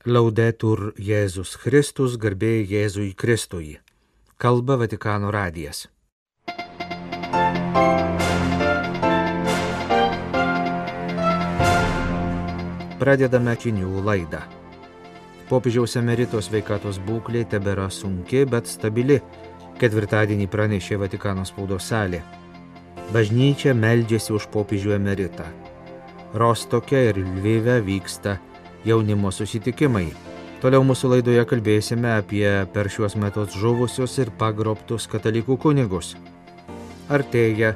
Laudetur Jėzus Kristus, garbė Jėzui Kristui. Kalba Vatikano radijas. Pradedame žinių laidą. Popiežiaus emerito sveikatos būklė tebėra sunki, bet stabili, ketvirtadienį pranešė Vatikano spaudos salė. Bažnyčia meldžiasi už popiežių emeritą. Rostoke ir Lvive vyksta jaunimo susitikimai. Toliau mūsų laidoje kalbėsime apie per šiuos metus žuvusius ir pagrobtus katalikų kunigus. Artėja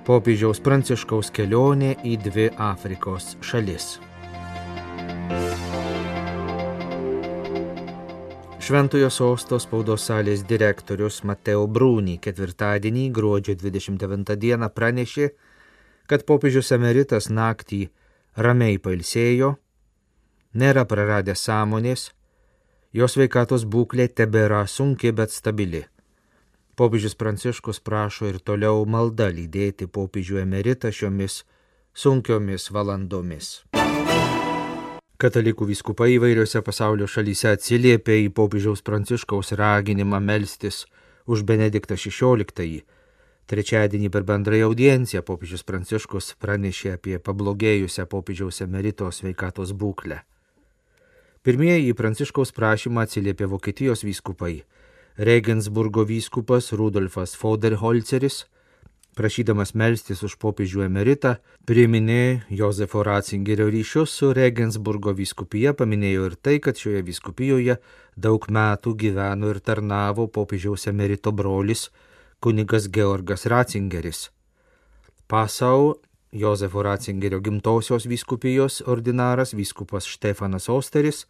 popiežiaus Pranciškaus kelionė į 2 Afrikos šalis. Šventojo sosto spaudos salės direktorius Matteo Bruni ketvirtadienį, gruodžio 29 dieną pranešė, kad popiežius emeritas naktį ramiai pailsėjo, nėra praradęs sąmonės, jo sveikatos būklė tebėra sunki, bet stabili. Popiežius Pranciškus prašo ir toliau malda lydėti popiežių emeritą šiomis sunkiomis valandomis. Katalikų vyskupai įvairiose pasaulio šalyse atsiliepė į popiežiaus Pranciškaus raginimą melstis už Benediktą XVI. Trečiadienį per bendrąją audienciją popiežius Pranciškus pranešė apie pablogėjusią popiežiaus emerito sveikatos būklę. Pirmieji į Pranciškaus prašymą atsiliepė Vokietijos vyskupai. Regensburgo vyskupas Rudolfas Foderholceris, prašydamas melstis už popiežių emeritą, priminė Jozefo Ratzingerio ryšius su Regensburgo vyskupija, paminėjo ir tai, kad šioje vyskupijoje daug metų gyveno ir tarnavo popiežiaus emerito brolis kunigas Georgas Ratzingeris. Passau Jozefo Ratzingerio gimtosios vyskupijos ordinaras vyskupas Štefanas Osteris,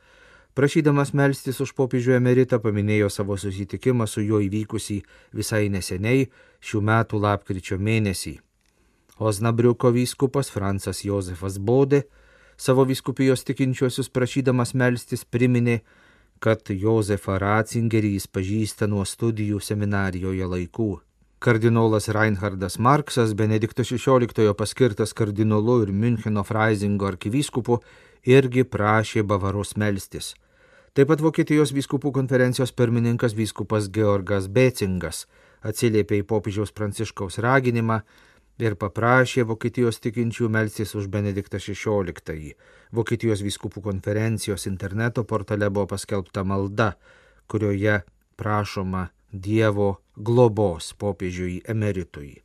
prašydamas melstis už popiežių emeritą, paminėjo savo susitikimą su juo įvykusį visai neseniai šių metų lapkričio mėnesį. Osnabriuko vyskupas Francas Jozefas Bode savo vyskupijos tikinčiuosius prašydamas melstis priminė, kad Jozefą Ratzingerį jis pažįsta nuo studijų seminarijoje laikų. Kardinolas Reinhardas Marksas, Benedikto XVI paskirtas kardinolu ir Müncheno Freisingo arkivyskupu, irgi prašė Bavaros melstis. Taip pat Vokietijos vyskupų konferencijos pirmininkas vyskupas Georgas Becingas atsiliepė į popiežiaus Pranciškaus raginimą ir paprašė Vokietijos tikinčių melstis už Benediktą XVI. Vokietijos vyskupų konferencijos interneto portale buvo paskelbta malda, kurioje prašoma Dievo globos popiežiui emeritui.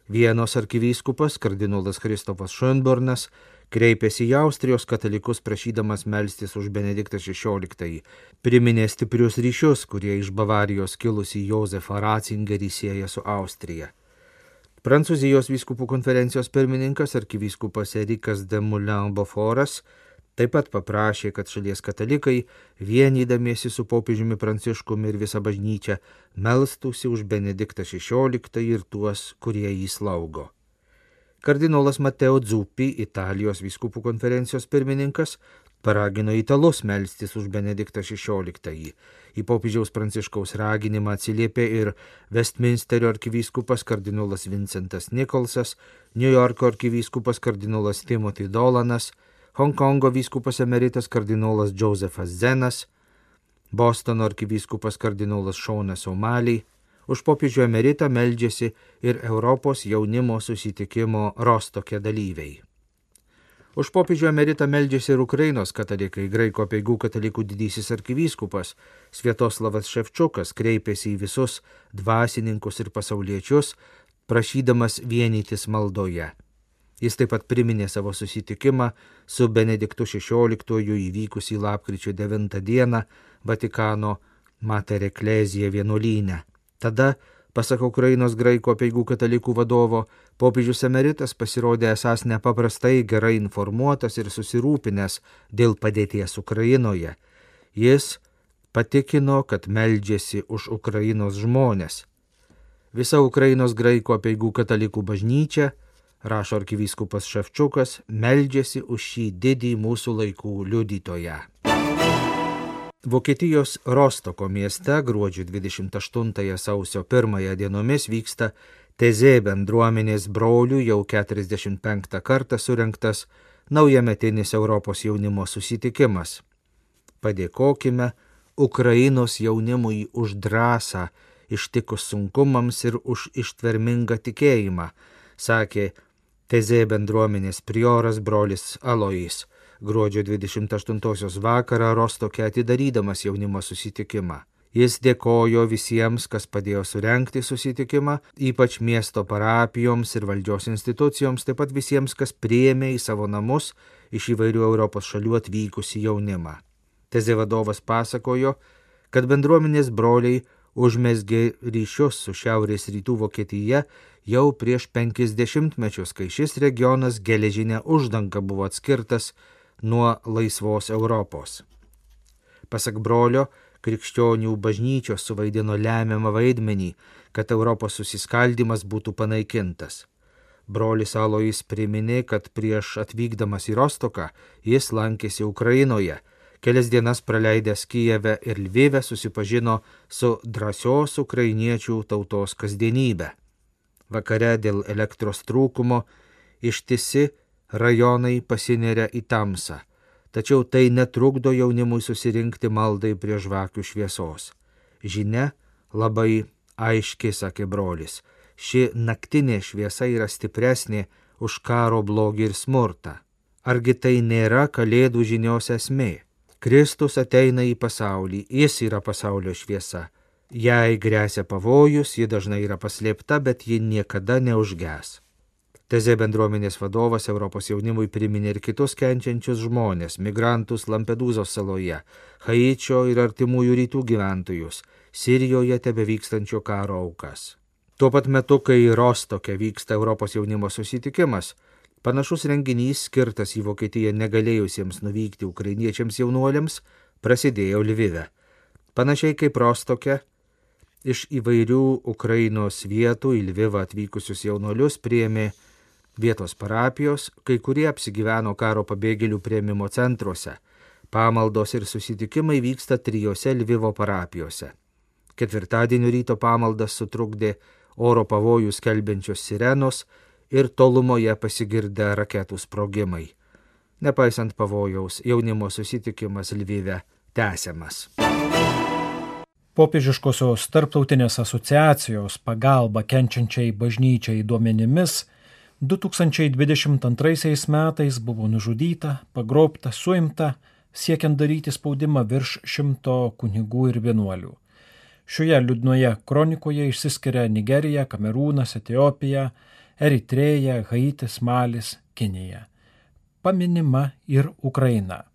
Vienos arkivyskupas kardinolas Kristofas Schönbornas kreipėsi į Austrijos katalikus prašydamas melstis už Benediktą XVI, priminė stiprius ryšius, kurie iš Bavarijos kilusi Jozefą Ratzingerį sieja su Austrija. Prancūzijos vyskupų konferencijos pirmininkas arkivyskupas Erikas de Moulin-Beaufortas taip pat paprašė, kad šalies katalikai, vienydamiesi su popiežiumi Pranciškumi ir visa bažnyčia, melstųsi už Benediktą XVI ir tuos, kurie jį slaugo. Kardinolas Matteo Zuppi, Italijos vyskupų konferencijos pirmininkas, paragino italus melstis už Benediktą XVI. Į popiežiaus Pranciškaus raginimą atsiliepė ir Westminsterio arkivyskupas kardinolas Vincentas Nikolsas, New Yorko arkivyskupas kardinolas Timothy Dolanas, Honkongo vyskupas emeritas kardinolas Josephas Zenas, Bostono arkivyskupas kardinolas Šonas O'Malley. Už popiežių emeritą meldžiasi ir Europos jaunimo susitikimo Rostoke dalyviai. Už popiežių emeritą meldžiasi ir Ukrainos katalikai. Graikų apeigų katalikų didysis arkivyskupas Sviatoslavas Ševčukas kreipėsi į visus dvasininkus ir pasauliečius, prašydamas vienytis maldoje. Jis taip pat priminė savo susitikimą su Benediktu XVI įvykusį lapkričio 9 dieną Vatikano Mater Ecclesiae vienuolyne. Tada, pasak Ukrainos graikų apeigų katalikų vadovo, popiežius emeritas pasirodė esąs nepaprastai gerai informuotas ir susirūpinęs dėl padėties Ukrainoje. Jis patikino, kad meldžiasi už Ukrainos žmones. Visa Ukrainos graikų apeigų katalikų bažnyčia, rašo arkivyskupas Ševčukas, meldžiasi už šį didį mūsų laikų liudytoją. Vokietijos Rostoko mieste gruodžio 28 sausio 1 dienomis vyksta Tezė bendruomenės brolių jau 45 kartą surengtas naujametinis Europos jaunimo susitikimas. padėkokime Ukrainos jaunimui už drąsą ištikus sunkumams ir už ištvermingą tikėjimą, sakė TZ bendruomenės prioras brolis Alois gruodžio 28 vakarą Rostoke atidarydamas jaunimo susitikimą. Jis dėkojo visiems, kas padėjo surengti susitikimą, ypač miesto parapijoms ir valdžios institucijoms, taip pat visiems, kas priėmė į savo namus iš įvairių Europos šalių atvykusi jaunimą. TZ vadovas pasakojo, kad bendruomenės broliai užmezgė ryšius su Šiaurės rytų Vokietija jau prieš 50 mečius, kai šis regionas geležinė uždanga buvo atskirtas nuo laisvos Europos. Pasak brolio, krikščionių bažnyčios suvaidino lemiamą vaidmenį, kad Europos susiskaldimas būtų panaikintas. Brolis Alois priminė, kad prieš atvykdamas į Rostoką jis lankėsi Ukrainoje. Kelias dienas praleidęs Kijeve ir Lvive susipažino su drąsios ukrainiečių tautos kasdienybė. Vakare dėl elektros trūkumo ištisi rajonai pasineria į tamsą, tačiau tai netrukdo jaunimui susirinkti maldai prie žvakių šviesos. Žinia labai aiški, sakė brolis, ši naktinė šviesa yra stipresnė už karo blogį ir smurtą. Argi tai nėra Kalėdų žinios esmė? Kristus ateina į pasaulį, jis yra pasaulio šviesa. Jei gresia pavojus, ji dažnai yra paslėpta, bet ji niekada neužges. TZ bendruomenės vadovas Europos jaunimui priminė ir kitus kenčiančius žmonės, migrantus Lampedūzos saloje, Haičio ir artimųjų rytų gyventojus, Sirijoje tebevykstančio karo aukas. Tuo pat metu, kai Rostoke vyksta Europos jaunimo susitikimas, panašus renginys skirtas į Vokietiją negalėjusiems nuvykti ukrainiečiams jaunuoliams prasidėjo Lvive. Panašiai kaip Rostoke, iš įvairių Ukrainos vietų į Lvivą atvykusius jaunuolius priėmė vietos parapijos, kai kurie apsigyveno karo pabėgėlių priėmimo centruose. Pamaldos ir susitikimai vyksta 3 Lvivo parapijose. Ketvirtadienio ryto pamaldas sutrukdė oro pavojų skelbiančios sirenos ir tolumoje pasigirdę raketų sprogimai. Nepaisant pavojaus, jaunimo susitikimas Lvive tęsiamas. Popiežiškosios tarptautinės asociacijos pagalba kenčiančiai bažnyčiai duomenimis 2022 metais buvo nužudyta, pagrobta, suimta, siekiant daryti spaudimą virš 100 kunigų ir vienuolių. Šioje liūdnoje kronikoje išsiskiria Nigerija, Kamerūnas, Etiopija, Eritreja, Haitis, Malis, Kinija. Paminima ir Ukraina.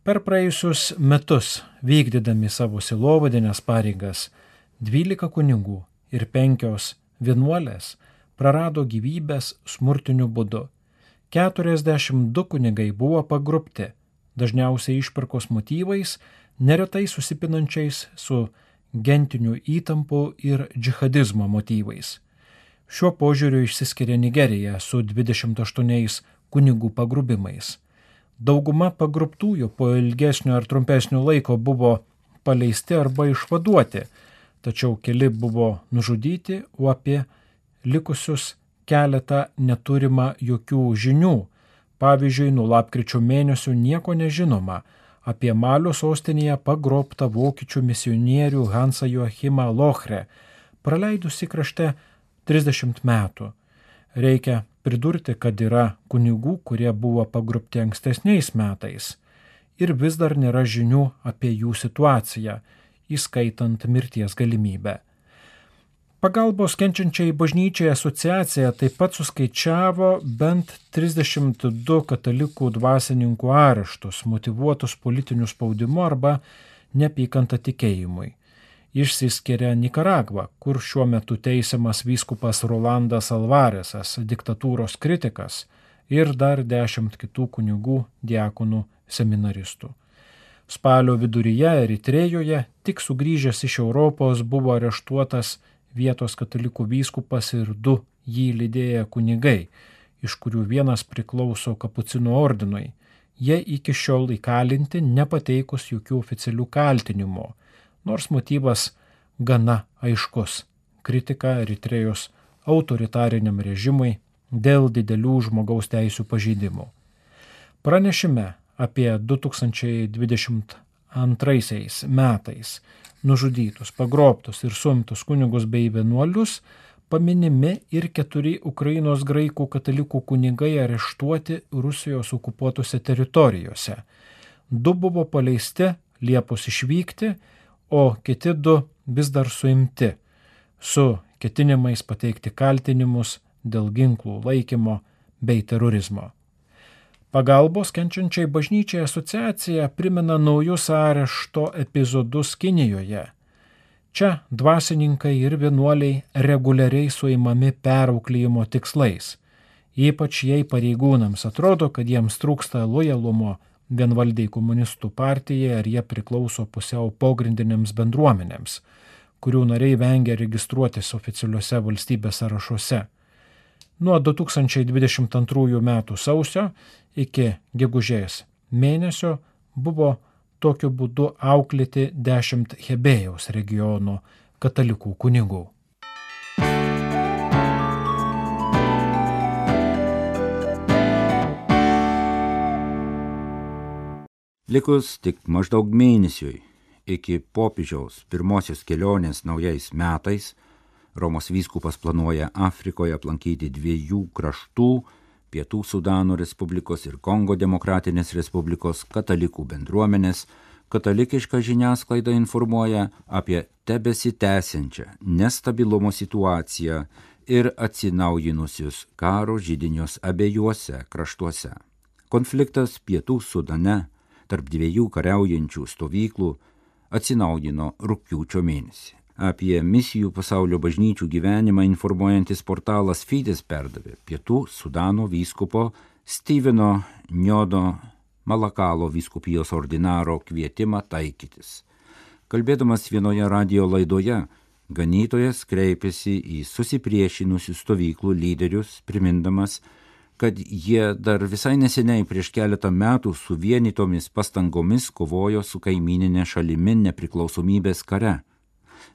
Per praėjusius metus, vykdydami savo sielovadinės pareigas, 12 kunigų ir 5 vienuolės prarado gyvybės smurtiniu būdu. 42 kunigai buvo pagrobti, dažniausiai išpirkos motyvais, neretai susipinančiais su gentinių įtampų ir džihadizmo motyvais. Šiuo požiūriu išsiskiria Nigerija su 28 kunigų pagrobimais. Dauguma pagrobtųjų po ilgesnio ar trumpesnio laiko buvo paleisti arba išvaduoti, tačiau keli buvo nužudyti, o apie likusius keletą neturima jokių žinių. Pavyzdžiui, nuo lapkričio mėnesio nieko nežinoma apie Malio sostinėje pagrobtą vokiečių misionierių Hansą Joachimą Lochrę, praleidusi krašte 30 metų. Reikia pridurti, kad yra kunigų, kurie buvo pagrobti ankstesniais metais ir vis dar nėra žinių apie jų situaciją, įskaitant mirties galimybę. Pagalbos kenčiančiai bažnyčiai asociacija taip pat suskaičiavo bent 32 katalikų dvasininkų areštus, motyvuotus politiniu spaudimu arba neapykanta tikėjimui. Išsiskiria Nikaragva, kur šiuo metu teisiamas vyskupas Rolandas Alvaresas, diktatūros kritikas, ir dar 10 kitų kunigų, diakonų, seminaristų. Spalio viduryje Eritrejoje tik sugrįžęs iš Europos buvo areštuotas vietos katalikų vyskupas ir 2 jį lydėję kunigai, iš kurių vienas priklauso kapucinų ordinui. Jie iki šiol įkalinti nepateikus jokių oficialių kaltinimų, nors motyvas gana aiškus – kritika Eritrejos autoritariniam režimui dėl didelių žmogaus teisių pažeidimų. Pranešime apie 2022 metais nužudytus, pagrobtus ir suimtus kunigus bei vienuolius paminimi ir 4 Ukrainos graikų katalikų kunigai areštuoti Rusijos okupuotose teritorijose. 2 buvo paleisti, liepus išvykti, o kiti 2 vis dar suimti, su ketinimais pateikti kaltinimus dėl ginklų laikymo bei terorizmo. Pagalbos kenčiančiai bažnyčiai asociacija primena naujus arešto epizodus Kinijoje. Čia dvasininkai ir vienuoliai reguliariai suimami perauklėjimo tikslais, ypač jei pareigūnams atrodo, kad jiems trūksta lojalumo vienvaldiai komunistų partijai ar jie priklauso pusiau pogrindinėms bendruomenėms, kurių nariai vengia registruotis oficialiuose valstybės sąrašuose. Nuo 2022 metų sausio iki gegužės mėnesio buvo tokiu būdu auklėti 10 Hebėjaus regiono katalikų kunigų. Likus tik maždaug mėnesiui iki popiežiaus pirmosios kelionės naujais metais, Romos vyskupas planuoja Afrikoje aplankyti 2 kraštų, Pietų Sudano Respublikos ir Kongo Demokratinės Respublikos katalikų bendruomenės. Katalikiška žiniasklaida informuoja apie tebesitęsiančią nestabilumo situaciją ir atsinaujinusius karo židinius abiejuose kraštuose. Konfliktas Pietų Sudane tarp 2 kariaujančių stovyklų atsinaujino rugpjūčio mėnesį. Apie misijų pasaulio bažnyčių gyvenimą informuojantis portalas Fides perdavė Pietų Sudano vyskupo Steveno Njodo Malakalo vyskupijos ordinaro kvietimą taikytis. Kalbėdamas vienoje radio laidoje, ganytojas kreipėsi į susipriešinusių stovyklų lyderius, primindamas, kad jie dar visai neseniai prieš keletą metų suvienytomis pastangomis kovojo su kaimyninė šalimi nepriklausomybės kare.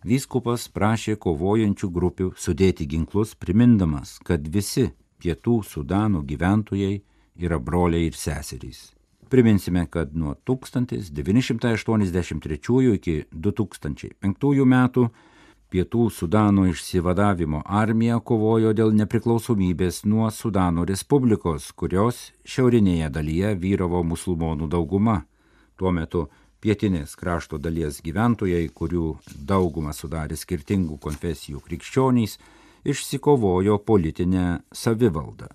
Vyskupas prašė kovojančių grupių sudėti ginklus, primindamas, kad visi Pietų Sudano gyventojai yra broliai ir seserys. Priminsime, kad nuo 1983 iki 2005 metų Pietų Sudano išsivadavimo armija kovojo dėl nepriklausomybės nuo Sudano Respublikos, kurios šiaurinėje dalyje vyravo musulmonų dauguma. Tuo metu pietinės krašto dalies gyventojai, kurių daugumą sudarė skirtingų konfesijų krikščionys, išsikovojo politinę savivaldą,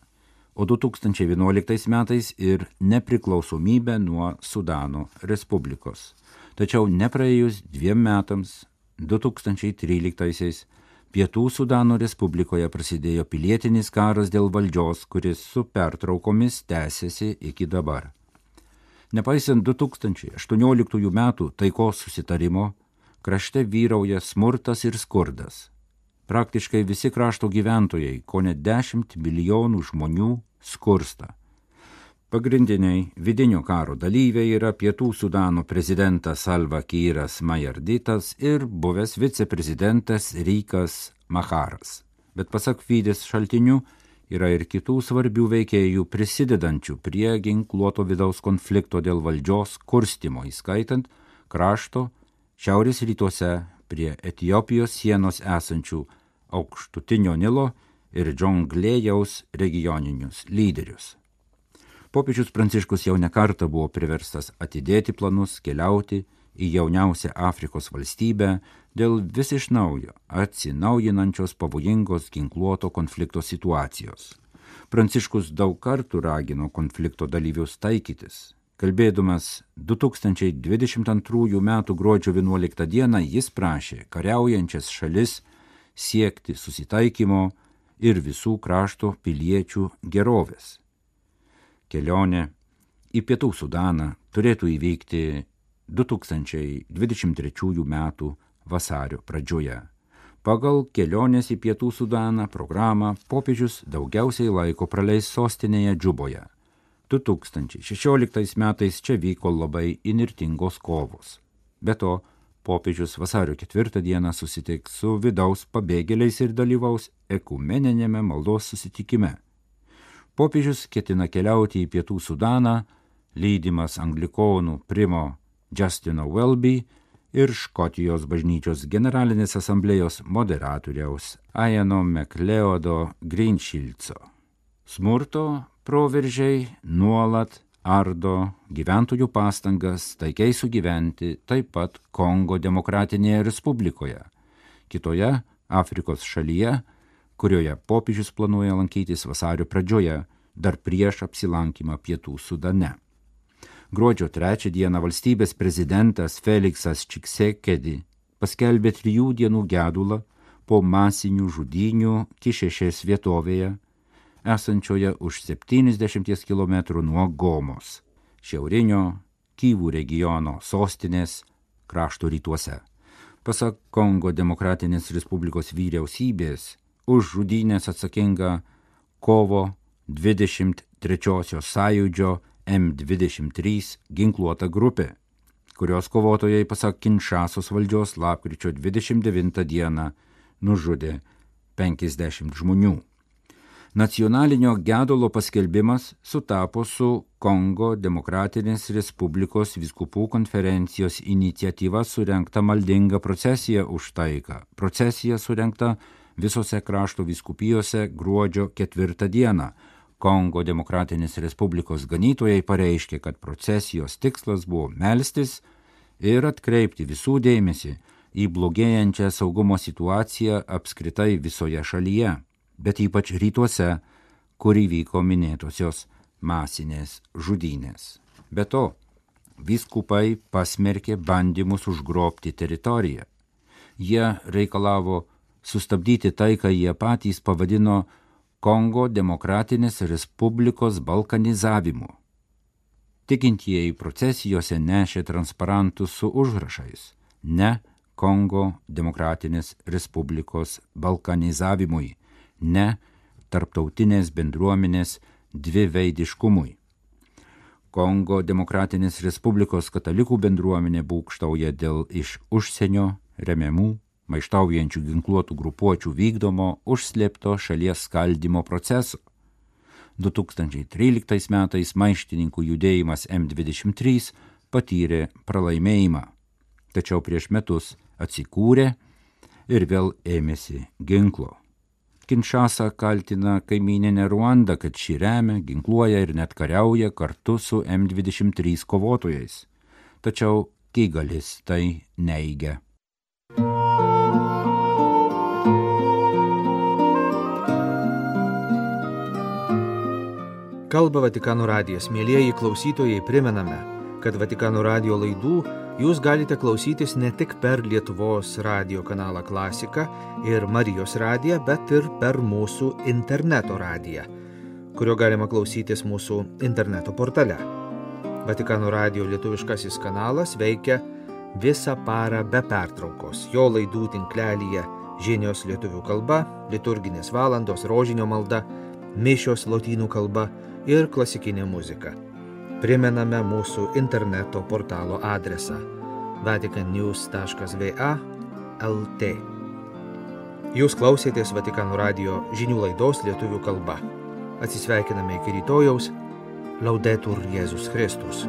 o 2011 metais ir nepriklausomybę nuo Sudano Respublikos. Tačiau nepraėjus 2 metams, 2013 Pietų Sudano Respublikoje prasidėjo pilietinis karas dėl valdžios, kuris su pertraukomis tęsiasi iki dabar. Nepaisant 2018 metų taikos susitarimo, krašte vyrauja smurtas ir skurdas. Praktiškai visi krašto gyventojai, kone 10 milijonų žmonių, skursta. Pagrindiniai vidinio karo dalyviai yra Pietų Sudano prezidentas Salva Kiiras Majarditas ir buvęs viceprezidentas Rikas Macharas. Bet pasak Fides šaltinių, yra ir kitų svarbių veikėjų prisidedančių prie ginkluoto vidaus konflikto dėl valdžios kurstymo, įskaitant krašto šiaurės rytuose prie Etiopijos sienos esančių Aukštutinio Nilo ir Džonglėjaus regioninius lyderius. Popiežius Pranciškus jau nekartą buvo priverstas atidėti planus keliauti į jauniausią Afrikos valstybę dėl vis iš naujo atsinaujinančios pavojingos ginkluoto konflikto situacijos. Pranciškus daug kartų ragino konflikto dalyvius taikytis. Kalbėdamas 2022 m. gruodžio 11 d. jis prašė kariaujančias šalis siekti susitaikymo ir visų krašto piliečių gerovės. Kelionė į Pietų Sudaną turėtų įvykti 2023 m. vasario pradžioje. Pagal kelionės į Pietų Sudaną programą popiežius daugiausiai laiko praleis sostinėje Džuboje. 2016 metais čia vyko labai įnirtingos kovos. Be to, popiežius vasario 4 dieną susitiks su vidaus pabėgėliais ir dalyvaus ekumeninėme maldos susitikime. Popiežius ketina keliauti į Pietų Sudaną, lydimas anglikonų primo Justino Welby ir Škotijos bažnyčios generalinės asamblėjos moderatoriaus Iano MacLeodo Greenshieldso. Smurto proveržiai nuolat ardo gyventojų pastangas taikiai sugyventi taip pat Kongo Demokratinėje Respublikoje, kitoje Afrikos šalyje, kurioje popiežius planuoja lankytis vasario pradžioje, dar prieš apsilankymą Pietų Sudane. Gruodžio 3 dieną valstybės prezidentas Feliksas Čiksekedi paskelbė 3 dienų gedulą po masinių žudynių Kišešės vietovėje, esančioje už 70 km nuo Gomos, šiaurinio Kyvų regiono sostinės krašto rytuose. Pasak Kongo Demokratinės Respublikos vyriausybės, už žudynės atsakinga kovo 23 sąjūdžio M23 ginkluota grupė, kurios kovotojai pasak Kinšasos valdžios lapkričio 29 dieną nužudė 50 žmonių. Nacionalinio gedulo paskelbimas sutapo su Kongo Demokratinės Respublikos vyskupų konferencijos iniciatyva surengta maldinga procesija už taiką. Procesija surengta visose krašto vyskupijose gruodžio 4 dieną. Kongo Demokratinės Respublikos ganytojai pareiškė, kad procesijos tikslas buvo melstis ir atkreipti visų dėmesį į blogėjančią saugumo situaciją apskritai visoje šalyje, bet ypač rytuose, kur įvyko minėtosios masinės žudynės. Be to, vyskupai pasmerkė bandymus užgrobti teritoriją. Jie reikalavo sustabdyti tai, ką jie patys pavadino Kongo Demokratinės Respublikos balkanizavimu. Tikintieji procesijose nešė transparantus su užrašais ne Kongo Demokratinės Respublikos balkanizavimui, ne tarptautinės bendruomenės dviveidiškumui. Kongo Demokratinės Respublikos katalikų bendruomenė būgštauja dėl iš užsienio remiamų maištaujančių ginkluotų grupuočių vykdomo užslėpto šalies skaldymo proceso. 2013 metais maištininkų judėjimas M23 patyrė pralaimėjimą, tačiau prieš metus atsikūrė ir vėl ėmėsi ginklo. Kinšasa kaltina kaimyninę Ruandą, kad ši remia, ginkluoja ir net kariauja kartu su M23 kovotojais, tačiau Kigalis tai neigia. Kalba Vatikano radijas. Mielieji klausytojai, primename, kad Vatikano radijo laidų jūs galite klausytis ne tik per Lietuvos radijo kanalą Klasika ir Marijos radiją, bet ir per mūsų interneto radiją, kurio galima klausytis mūsų interneto portale. Vatikano radijo lietuviškasis kanalas veikia visą parą be pertraukos. Jo laidų tinklelyje žinios lietuvių kalba, liturginės valandos, rožinio malda, mišios lotynų kalba ir klasikinė muzika. Primename mūsų interneto portalo adresą vaticannews.va/lt. Jūs klausėtės Vatikano radijo žinių laidos lietuvių kalba. Atsisveikiname iki rytojaus. Laudetur Jėzus Kristus.